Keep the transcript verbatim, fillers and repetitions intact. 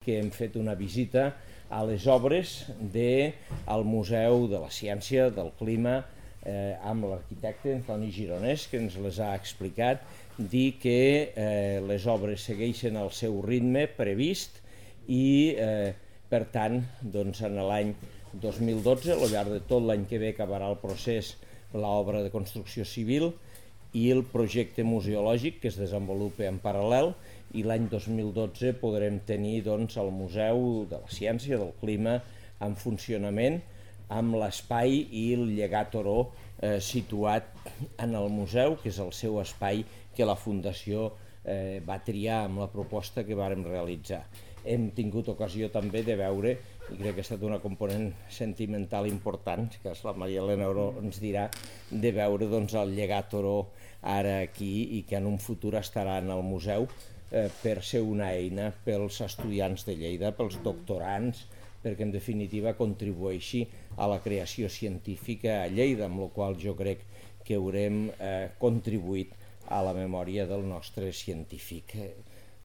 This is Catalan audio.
que hem fet una visita a les obres del Museu de la Ciència, del Clima, eh, amb l'arquitecte Antoni Gironès, que ens les ha explicat, dir que eh, les obres segueixen el seu ritme previst i, eh, per tant, doncs, en l'any dos mil dotze, al llarg de tot l'any que ve, acabarà el procés, l'obra de construcció civil i el projecte museològic que es desenvolupa en paral·lel, i l'any dos mil dotze podrem tenir doncs, el Museu de la Ciència, del Clima, en funcionament, amb l'espai i el llegat Oró eh, situat en el museu, que és el seu espai que la Fundació eh, va triar amb la proposta que vàrem realitzar. Hem tingut ocasió també de veure, i crec que ha estat una component sentimental important, que la Maria Elena Oró ens dirà, de veure doncs, el llegat Oró ara aquí i que en un futur estarà en el museu eh, per ser una eina pels estudiants de Lleida, pels doctorants, perquè en definitiva contribueixi a la creació científica a Lleida, amb la qual jo crec que haurem eh, contribuït a la memòria del nostre científic.